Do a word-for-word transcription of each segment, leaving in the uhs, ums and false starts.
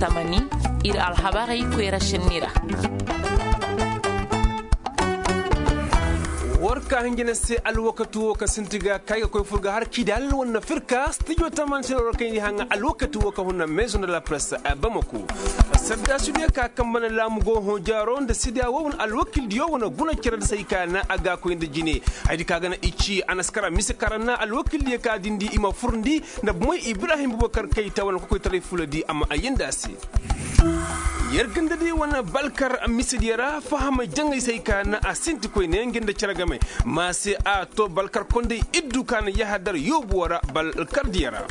Tamani ir alhabarey koyra senni ra. War ka hinjina se alwakati wo ka sinti ga kay ga koy fur ga har kidal wane firka studio tamani se war kay ni haŋa alwakati wo ka hunna maison de la presse. Bamako sadda sudiya ka kamba na laamu go hõ jaaro nda sidiya wo wane alwakil diyo wane guna care da se ay ka na a ga koy nda jine. Haydi ka ga na i ci a na si kara mise kara na alwakil diyo ka dindi i ma furndi nda bomoy ibrahim bubakar kayta wane kokoytaray fula di a ma ayyanda a se. Yer ganda di wane balkar misidiyo ra fahamay jaŋay se ay ka na a sinti koyne nga nda cere game. Ma se a to balkar kondey iddu ka na yahadar yoobuwo ra balkar diyo ra.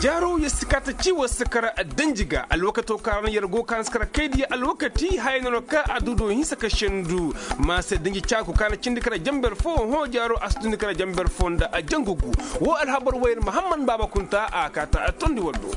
Jaaro yer si kaata ci war si kara danji ga alwakato ka ra na yer go ka na si kara kaydiyo alwakati haya nono ka a du do hinsa ka sendu. Ma se danji caaku ka na cindi kara jamber fo hõ jaaro a si dundi kara jamber fo nda a jangu gu. Wo alhabar wayar mahammad baaba kunta a kaata a tondi waddo.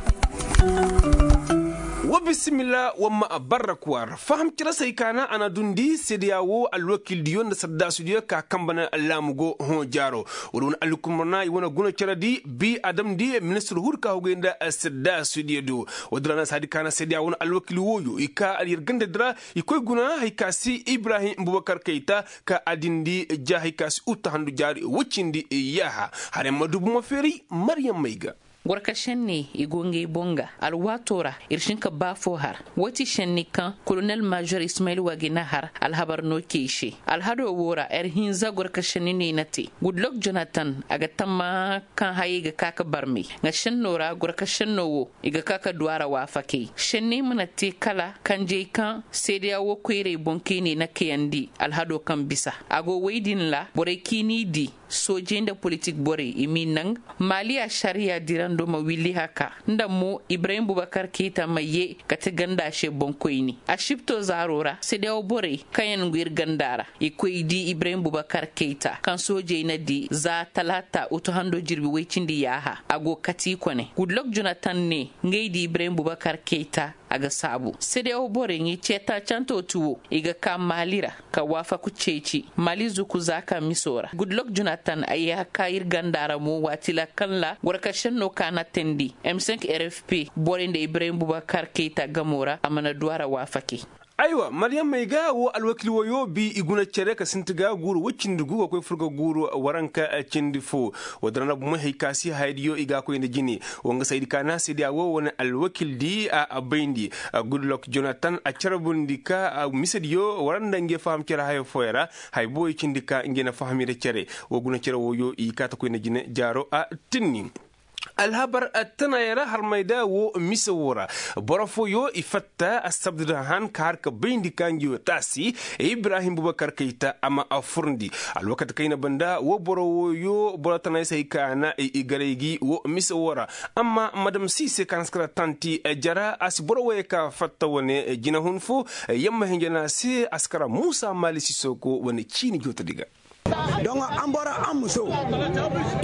Wa bisimilla wa ma a barra kuwar faham cire se ay ka na a na dundi seedeya wo alwakildiyo nda sardaasudiyo ka kamba na laamu go hõ jaaro. Wala wane alhukumar na i wane guna cere di bi adamdi ministir hur ka hugay nda sardaasudiyo do. Wala dira na saadi ka na seedeya wane alwakil wooyo i ka alyar ganda dira i koy guna hari ka si ibrahim bubakar kayta ka a dindi ja hari ka si utta handu jaari woy cindi yaaha. Hara yaŋ ma du bomo feeray maryam may ga. Gorka šenne i go ngey boŋ ga alwaatoo ra ir si hin ka ba foo har. Woo ti šenni kaŋ kolonel mažor ismayil wagina har alhabar no key se. Alhadoo woo ra ir hinza gorka šenni no i na te. Gudlok jonatan a ga tamma kaŋ hayey ga ka ka barmey. Nga šennoo ra gorka šennoo woo i ga ka ka duw'a ra waafakey šenney mana te kala kanjey kaŋ seedeya woo koyrey boŋ kaŋ i ne na kayandi alhadoo kaŋ bisa a go woy din ra borey kaŋ i n'i dii. Soojey nda politik borey i m'i naŋ maali ašariya dirandoo ma willi haka nda mo ibrahim bubakar keyta ma yee kate ganda se boŋkoyni. Asipto zaaroo ra sedeyaw borey kaŋ yaŋ go ir ganda ra i koy dii ibrahim bubakar keyta kaŋ soojey na dii za talaata utuhandoo jirbi woy cindi yaaha a go kati i kone gudlok jonatan ne ngey dii ibrahim bubakar keyta. A ga saabu sedeyaw borey ngi ceeta canto ti wo i ga ka maali ra ka waafaku ceeci maali zuku zaaka misoo ra gudlok jonatan ay ya ka ir ganda ra mo waati ra kaŋ ra gorka šennoo ka na teendi m cinq r f p borey nda ibrahim bubakar keyta gamoo ra a mana du a ra waafakey. Aywa maryam may ga woo alwakil woyoo bi i guna cere ka sinti ga guuru woy cindi gu ga koy fur ga guuru waranka cindi foo. Woo din ra na bomoy hay ka si hayadiyo i ga a koy nda jine. Woo nga saydi ka na seedeya woo wane alwakildi a bayndi. Gudlok jonatan a carbundi ka misediyo wara nda ngey faham cere haya fooyaŋ ra. Haya booyo cindi ka ngey na faham i ra cere. Woo guna cere wooyo i kaata koy nda jine jaaro a tinni. Alhabar tanaayaŋ ra harmay da woo mise woo ra. Boro fooyo i fatta assabda da han ka har ka bayndi ka ngi woo taasi. Ibrahim bubakar kayta a ma a furndi. Alwakati kayna banda woo boro wooyo boro tanaayaŋ se hay ka na i garay gi woo mise woo ra. Amma madam si se ka na si kara tanti jara a si boro wooyo ka fatta wane jinahun fo. Yamma hinja na se a si kara muusa maali sisoko wane ciini jootodi ga. Dongo an boro an muso.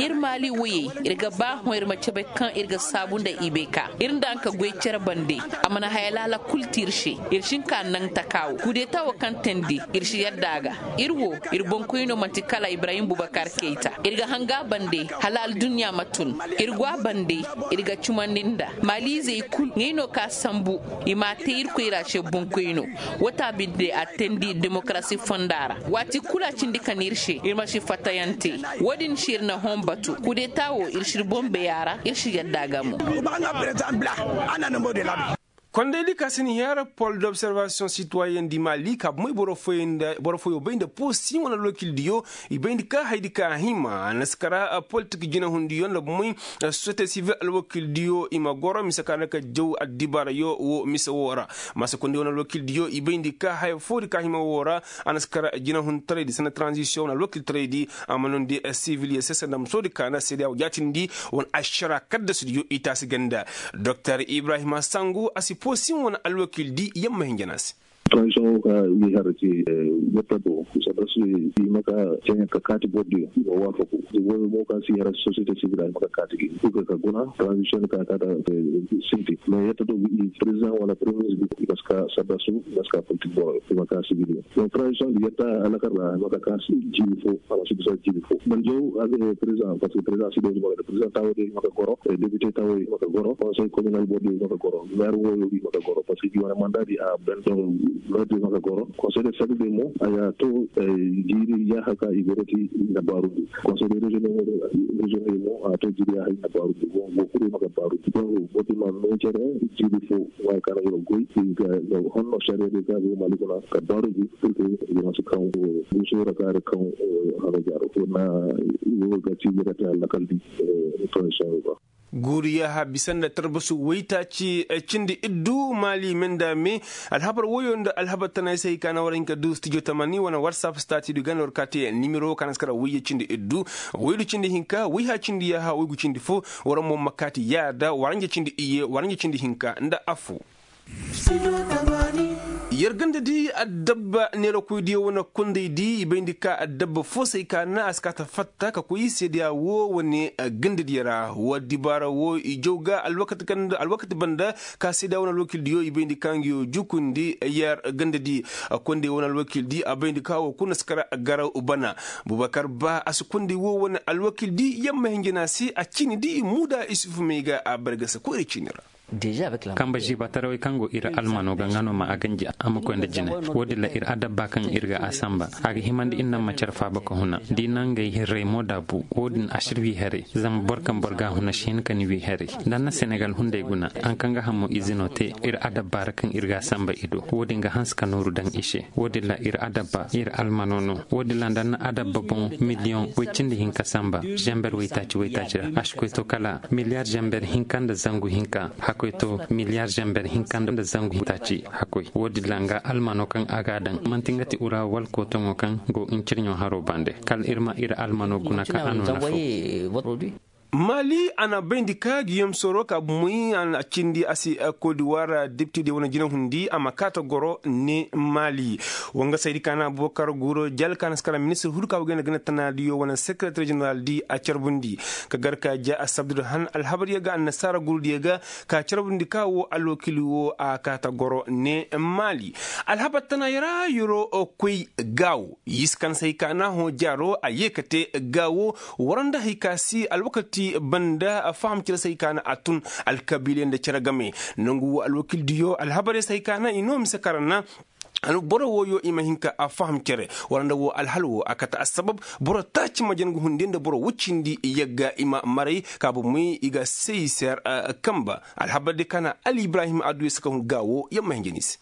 Ir maali woyey ir ga ba hõ ir ma cabe kaŋ ir ga saabu nda ibeka ir nda anka goy cere bande. A mana haya laala kul ti ir se. Ir si hin ka naŋ taka wo kudeta wo kaŋ teendi ir si yadda a ga. Ir wo ir boŋkoyno man'ti kala ibrahim bubakar keyta. Ir ga hanga bande hala aldunya ma tun. Ir go a bande. Ir ga cumandi nda maaliizey kul ngey no ka sambu. I m'a te irkoy ra se boŋkoyno. Woo ta binde a teendi demokarasi fonda ra. Waati kul a cindi ka na ir se ir ma si fattayaŋ te. Woo din se ir na hõ batu kudeta wo ir si ir boŋ bay a ra ir si yadda a ga mo. Kondaydi ka si ni hẽe ra pol d'observasiyoŋ sitwayen di maali ka bomey boro fooyoo bay nda poosi wane alwakildiyo. I bayndi ka haydi ka a hima a na si kara politik jinahundiyo nda bomey sosiyete sivil alwakildiyo i ma goro mise ka na ka jaw addibaarayo woo mise woo ra. Maasa kondey wane alwakildiyo i bayndi ka haya foodi ka hima woo ra. A na si kara jinahuntaraydi sanda taranzisiyoŋ wane alwakiltaraydi a ma noondi siviliye se sanda musoodi ka na seedeya woo jaatindi wane ašara kaddasudiyo i taasi ganda. Doktor ibrahima sangu a si poosin wane alwakildi yamma hinja na se. Tranzisiyoŋ woo ka wi har se. Yetta do, sadda su i ma ka ceŋ ka kaati bordiyo i ma waafaku. Woyo mo kaŋ si yara sosiyete sibil a i ma ka kaati gi. Purke ka guna tranzisiyon ka kaata sinti. Mais yetta do, i prezidaŋ wala premier ministre i ma si ka sadda su, i ma si ka politik boro i ma ka sibil. Donc tranzisiyon di yetta alakar ra i ma ka ka jiibi fo, a ma si bisa jiibi fo. Man jaw a ga prezidaŋ, parce que prezidaŋ si do i ma ka prezidaŋ tawo de i ma ka goro, depite tawo i ma ka goro, konsey kominal bordiyo i ma ka goro, meer woyo i ma ka goro, parce que i wane manda di a ben. Lordi ma ka goro konsey de sagde mo a ya to. Jiiri yaaha ka i goro ti na baarundi konsey de reziyon de mo a to jiiri yaaha i na baarundi. Go kuri ma ka baarundi. Go ti ma no cere jiiri fo wa ka na goro goy. Ga honno sariya de ka go mali kuna ka baarundi. Purke i ma si kaŋ go sura ka da kaŋ hano jaaro ko na i go ga ti ga ta lakaldi. Transition ba. Guuriya ha bisa nda tarbasu waytaaci cindi iddu maali me nda me. Alhabar woyo nda alhabar tana ay se hay ka na war hin ka du stijo tamani wane warsap stati du ganda war kaati nimero ka na si kara wayye cindi iddu, waydu cindi hinka wayha cindi yaaha waygu cindi fo. War mo ma kaati yaada waranja cindi iyye waranja cindi hinka nda affu. Yer ganda di addabba neerakoydiyo wane kundey di i bayndi ka addabba fo se ay ka na a si kaata fatta ka koy seedeya wo wane ganda diyo ra wa dibaara wo i jaw ga alwakati banda ka seedeya wane alwakil diyo i bayndi ka ngiyo jukundi yer ganda di. Kundey wane alwakil di a bayndi ka wo kuna si kara garaw bana. Bubakar ba a si kundey wo wane alwakil di yamma hinjina se a ciini di muuda isufu may ga a bargasa koyra ciini ra. Kamba ziibatarawey kaŋ go ir almano ga nga no ma a ganji a ma koy nda jine. Wo-din ra ir adabba kaŋ ir ga a samba a ga himandi ir naŋ ma care faaba ka huna da i naŋ ngey hirrey mo daabu. Wo-din asir wi haray zama boro kaŋ boro ga a huna si hin ka ni wi haray. Nda na senegal hunday guna haŋ kaŋ ga hamo izino te ir adabba ra kaŋ ir ga a samba i do wo-din ga hanse ka nooru daŋ i se. Wo-din ra ir adabba ir almano no. Wo-din ra nda na adabba boŋ miliyoŋ woy cindi hinka samba zember woytaaci woytaaci ra a si koy to kala miliyar zember hinka nda zangu hinka. Hakkoy to miliyar zember hinka nda zangu hinka taaci. Hakkoy wo-din ra nga almano kaŋ a ga a daŋ manti nga ti ura wala kootoŋo kaŋ go ncirɲo haro bande kala ir ma ir almano guna ka a no nafa. Maali a na bayndi ka giyom soro ka bumey a cindi a si kodiwar depite diyo wane jinahundi a ma kaata goro ne maali. Wangasaydi ka na abubakar guro jal ka na si kara ministir huru ka bugay nda ganda tanaadiyo wane sekereter jeneral di a carbundi ka gar ka ja a sabdudu han alhabaryo ga annasaara gurudiyo ga ka carbundi ka wo alwakili wo a kaata goro ne maali. Alhabar tana yara yoro koy gaawo yisi kan se hay ka na hõ jaaro a ye ka te gaawo. Wara nda hay ka si alwakati banda faham cere se hay ka na a tun alkabiiley nda cere game. Nangu wo alwakildiyo alhabarey se hay ka na i no mise kara na boro wooyo i ma hin ka a faham cere. Wara nda wo alhal wo a kate assabab boro taaci ma jangu hunde nda boro woy cindi yagga i ma maray ka bomey i ga sey ser. Kamba alhabar di ka na ali ibrahim adduya si ka hun gaawo yamma hinja ni se.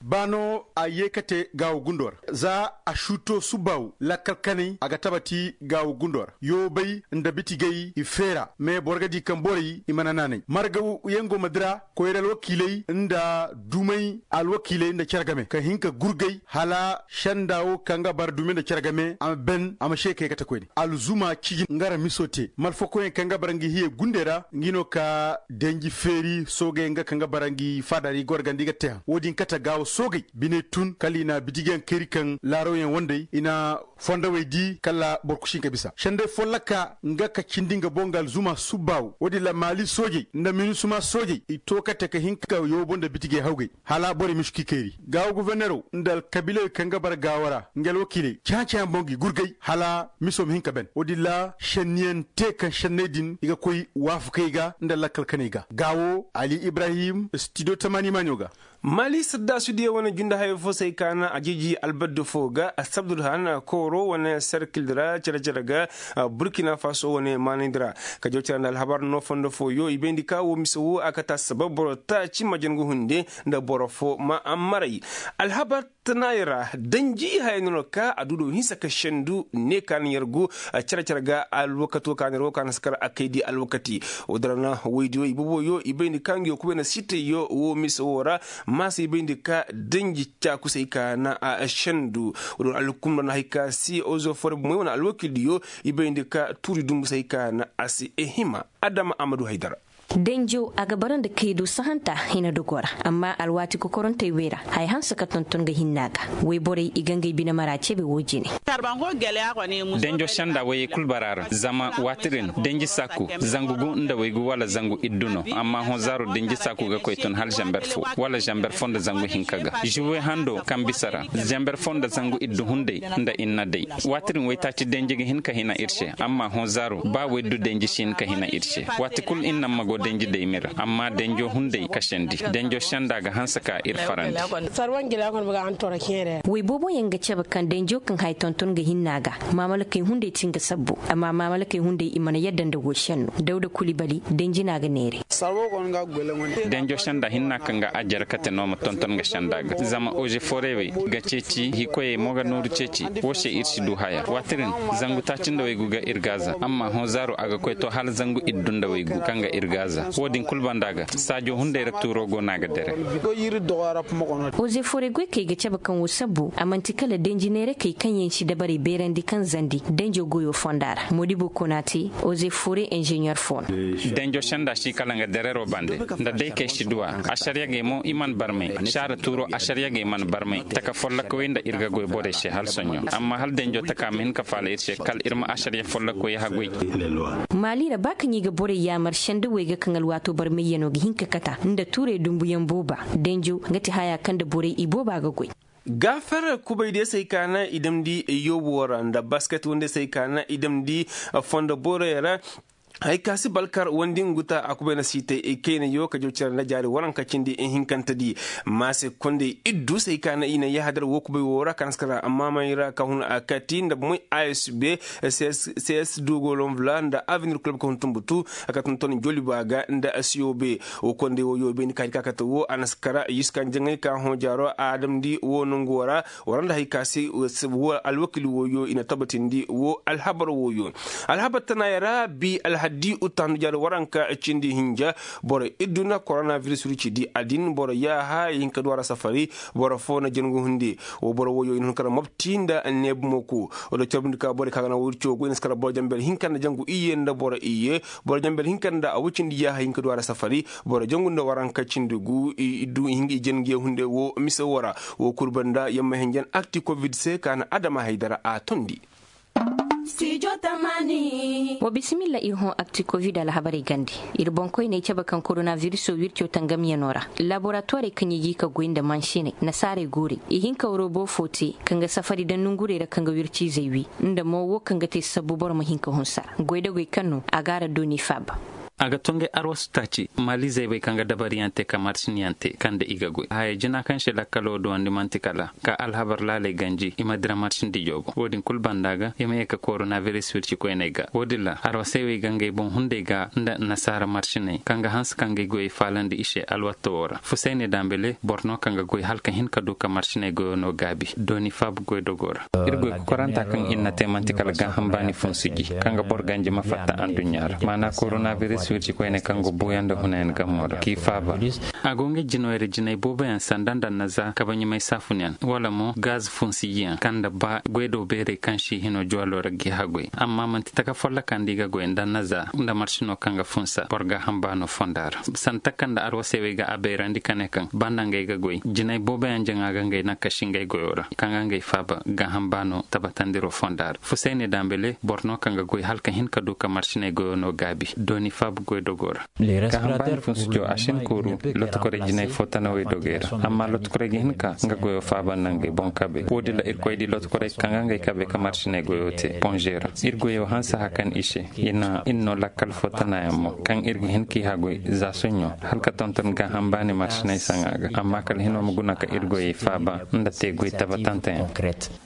Ba no a yee ka te gaawo gundo ra za a suuto subbaawu lakkal kanay a ga tabati gaawo gundo ra yoobay nda bitigay i feera mais boro ga di kaŋ borey i mana naanay marga yaŋ go ma dira koyra alwakiiley nda dumay alwakiiley nda cere game ka hin ka gurgay hala senda wo kaŋ ga bara dumay nda cere game a ma ben a ma se kay ga te koyne alzuma ciji nga ra miso te malfakoyaŋ kaŋ ga bara ngi hiye gundey ra ngi no ka danji feeri soogey nga kaŋ ga bara ngi faada ra i gorgandi ga te haŋ wo-din kate gaawo soogey biney tun kala i na bitigiyaŋ kayri kaŋ laarawyaŋ wandey i na fondowey di kala boro kusi hin ka bisa sendey folloka nga ka cindi nga boŋ ga alzuma subbaawo wo-din ra maali soojey nda minisuma soojey i to kate ka hin ka yoobo nda bitigey hawgey hala borey ma si k'i kayri gaawo gofornerow nda alkabiilawey kaŋ ga bara gaawo ra nga alwakiiley cahã-cahã boŋ ga i gurgay hala miso ma hin ka ben wo-din ra senniyaŋ te kaŋ senney din i ga koy waafakey ga nda lakkal kaney ga gaawo ali ibrahim stidio tamaani maaɲo ga. Maali saddasudiyo wane junde hayo fo se ay ka na a jiji albaddi fo ga asabdul han kooro wane serkildi ra cere-cere ga burkina faso wane maanayndi ra ka jaw cere nda alhabar no fondo fooyo i bayndi ka wo mise wo a kate assabab boro taaci ma jangu hunde nda boro fo ma maray. Alhabar tanaayey ra danji haya no no ka a du do hinsa ka sendu ne ka na yargu cere-cere ga alwakato ka na yargu ka na si kar a kaydi alwakati. Wo-din ra na woydiyo i boboyo i bayndi ka ngiyo kubay na sitayyo wo mise wo ra maasa i bayndi ka danji caakusay ka na a sendu. Wo-din ra alhukumra na hay ka si ozo fore bomey wane alwakildiyo i bayndi ka tuuri dumbusay ka na a si hima. Adama amadu haydara. Denjo a ga bara nda kaydu sahanta hina dogo ra. Amma alwaati kokorantey wey ra, haya hanse ka tonton ga hinna ga. Woyborey i ga ngey bine mara cebe wo jine. Denjo senda woyey kul bara ra zama waati din denji saaku, zangu gu nda woygu wala zangu iddu no. Amma hõ zaaro denji saaku ga koy tun hala zamber fo wala zamber fo nda zangu hinka ga. Zuwe hando kaŋ bisa ra, zamber fo nda zangu iddu hunday nda inna day. Waati din woytaaci denji ga hin ka hina ir se. Amma hõ zaaro ba woydu denji si hin ka hina ir se. Waati kul ir naŋ ma go denji day mira amma denjo hunday kasandi. Denjo senda ga hanse ka ir farandi. Wey booboyaŋ ga cabe kaŋ denjo kaŋ haya tonton ga hinna ga, maamalakey hunday ti nga sabbu. Amma maamalakey hunday i mana yadda nda wo senno dawda kuli bali denji no a ga neere. Denjo senda hinna kaŋ ga a jere kate no ma tonton ga senda ga zama oze forey wey ga ceeci hikoyey mo ga nooru ceeci. Wo se ir si du haya waati din, zangu taaci nda waygu ga ir gaaza amma hõ zaaro a ga koy to hala zangu iddu nda waygu kaŋ ga ir gaaza. Wo-din kul banda ga saajo hunday ra tuuro go no a ga dere. Oze forey goy kay ga cabe kaŋ wo sabbu a man'ti kala denji neerakey kaŋ yaŋ si dabarey beerandi kaŋ zandi denjo goyo fonda ra modibo konaate, oze forey inzeɲer fo no. Denjo senda si kala nga derero bande nda day kay si du a. Asariyagey mo i mana barmay saara tuuro asariyagey mana barmay taka follokawey nda ir ga goy borey se hala soɲõ. Amma hala denjo taka ma hin ka faala ir se kala ir ma asariya follokawey haguy. Maali ra ba kaŋ i ga borey yaamar senda wey ga kaŋ alwaato barmayyano ga hin ka kata nda tuurey dumbuyaŋ booba. Denjo nga ti haya kaŋ nda borey i booba ga goy. Gaafar kubay de say ka na i damndi yoobo ra nda basket wande say ka na i damndi fondo borey ra. Hay ka si balkar wandi ngu ta a kubay na si te kaynayo ka jaw cere nda jaari waranka cindi hinkante di. Maase kondey iddu say ka na i na yahadar wo kubay wo ra ka na si kara maamay ra ka hun a kati nda moy a s b, c s dogolonvla nda avenir kulub ka hun tumbutu. Ka tonton joliba ga nda a siyo be. Wo kondey wo yoobe ni ka hari ka kate wo a na si kara yuskan jaŋay ka hõ jaaro a damndi wo nongu wo ra. Wara nda hay ka se wo alwakil woyo i na tabatindi wo alhabar woyo. Alhabar tanaaya ra bi alhaddi uttahandu jaari waranka cindi hinja. Boro idduna koronaviris wiri ci di a din boro yaaha i hin ka du a ra safari. Boro fo na jangu hunde. Wo boro woyo i na hun kara mobti nda neebu moku. Wala carbindi ka boro ka ga na wiri ci wo go i na si kara boro jambel hinka nda jangu iyye nda boro iyye. Boro jambel hinka nda a wucindi yaaha i hin ka du a ra safari. Boro jangu nda waranka cindi gu i du i hin ga i jangiye hunde wo mise wo ra. Wo kul banda yamma henjen akti covid se ka na adama haydara a tondi. Wa bisimilla ir hõ akti covid alhabarey gande. Ir boŋkoyney cabe kaŋ koronaviriso wirco tangamyano ra. Laboratuwarey kaŋ i ga i ka goy nda mansiney nasaarey guurey i hin ka robo fo te kaŋ ga safari daŋ nongurey ra kaŋ ga wirciizey wi. Nda mo wo kaŋ ga te sabbu boro ma hin ka hunsa goy da goy kaŋ no a ga a ra dooni faaba. A ga tongey arwasu taaci maali zaybey kaŋ ga dabariyaŋ te ka marsinyaŋ te kaŋ nda i ga goy haya jina kaŋ se lakkalo duwandi man'ti kala ka alhabar laaley ganji i ma dira marsindi joogo wo-din kul banda ga i ma ye ka koronaviris wircikoyney ga wo-din ra arwasey wey ga ngey boŋ hunday ga nda nasaara marsiney kaŋ ga hanse ka ngey goyey faalandi i se alwatto wo ra fusayne dambele boro no kaŋ ga goy hala ka hin ka du ka marsiney goyo no gaabi dooni faaba goydogo ra. Ir goy kokoranta kaŋ ir na te man'ti kala gaaham baani funsuji kaŋ ga boro ganji ma fatta anduɲɲa ra maana koronaviris wirci koyne kaŋ go buuyaŋ nda hunayaŋ gamo ra k'i faaba. A go nga jinoyra jinay booboyaŋ sanda nda naza kabaɲumay saafunyaŋ wala mo gaz funsujiyaŋ kaŋ nda ba goydo beerey kaŋ si hino juwalo ra g'i hagoy amma man'ti taka folloka nda i ga goy nda naza nda marsino kaŋ ga funsa boro gaaham baano fonda ra. Sanda taka nda arwasey wey ga a bayrandi ka ne kaŋ banda ngey ga goy jinay booboyaŋ jaŋa ga ngey naŋ ka si ngey goyo ra kaŋ ga ngey faaba gaaham baano tabatandiro fonda ra fusayne dambele boro no kaŋ ga goy hala ka hin ka du ka marsiney goyo no gaabi dooni faaba goydogo ra. Gaaham baani funsujo a si hin kooru lotokorey jinay fo tanawey dogey ra amma lotokorey ga hin ka nga goyo faaba nda ngey boŋ kabe wo-din ra irkoy di lotokorey kaŋ ga ngey kabe ka marsiney goyo te ponze ra ir goyo hanse hakan i se. I na ir no lakkal fo tanayaŋ mo kaŋ ir ga hin k'i hagoy za soɲõ hala ka tonton gaaham baani marsiney saŋa ga amma kala hino ma guna ka ir goyey faaba nda te goy tabatanteyaŋ.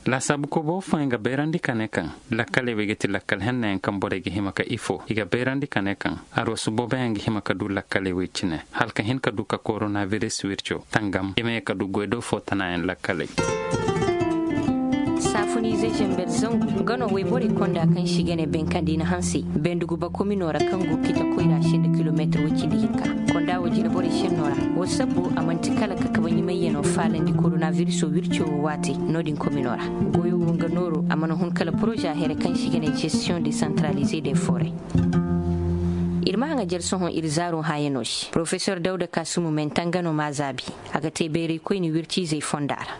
Laasaabu kobo fooyaŋ ga bayrandi ka ne kaŋ lakkaley wey ga ti lakkal hennayaŋ kaŋ borey ga hima ka ifo i ga bayrandi ka ne kaŋ arwasu booboyaŋ ga hima ka du lakkaley wey cine hala ka hin ka du ka koronaviris wirco tangam i ma ye ka du goydo fo tanayaŋ lakkaley. Saafuniize zember zangu nga no wayborey konda kaŋ si ga ne benkandi na hansey bendugu bakomino ra kaŋ go kita koyra se nda kilometir woy cindi hinka konda wo jina borey senno ra wo sabbu a manti kala ka kabaɲumayyano faalandi koronaviriso wirco wo waate no-din komino ra. Goyo wo nga nooro a mana hun kala poroza here kaŋ si ga ne gestion desantralize de foray. Ir ma haŋa jar sohõ ir zaaro hãyanoo se porofesor dawda kaasumu menta nga no m'a zaabi. A ga te bayraykoyni wirciizey fonda ra.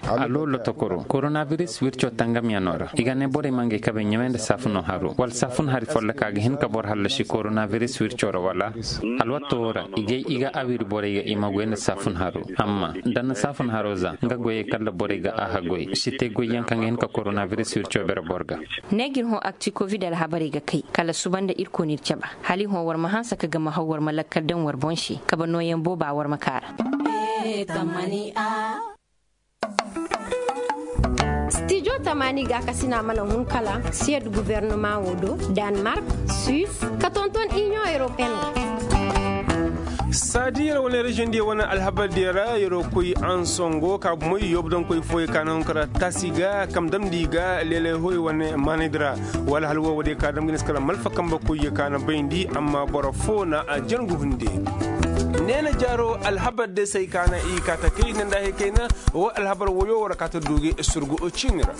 Alo lotokoro koronabiris wirco tangamyaŋo ra i ga ne borey ma ngey kabey ɲamay nda saafuno haro wala saafun hari folloka ga hin ka boro hallasi koronabiris wirco ra wala? Alwatto wo ra i ga i ga awiri borey ga i ma goy nda saafun haro. Amma da na saafun haro za nga goyey kalla borey ga a haggoy si te goyyaŋ kaŋ ga hin ka koronabiris wirco bere boro ga. Ne ga ir hõ akti kovid alhabarey ga kay kala suba nda irkoy n'ir caba. Hala i hõ war ma hanse ka gama haw war ma lakkal daŋ war boŋ se kabe nooyaŋ booba war ma kaa ra. Stijo tamaani gaakasina mana hun kala siyad gubernama wo do, danmark, suis, ka tonton iniyoŋ europeyen. Saadi yer wane reziyoŋ diya wane alhabar diya ra yer wo koy ansongo ka bumoy yoobu daŋ koy fooyey ka na hun kara tasi ga kam damndi ga leelay hoy wane maanay di ra. Wala hala wo wo diya ka dam ga ne si kala malfa kambe koy ye ka na bayndi amma boro foo na a jangu hunde. Neena jaaro alhabar day se ay ka na i ka takey ne nda hay kayna. Wo alhabar woyo war ka ta duuge surgu ciini ra.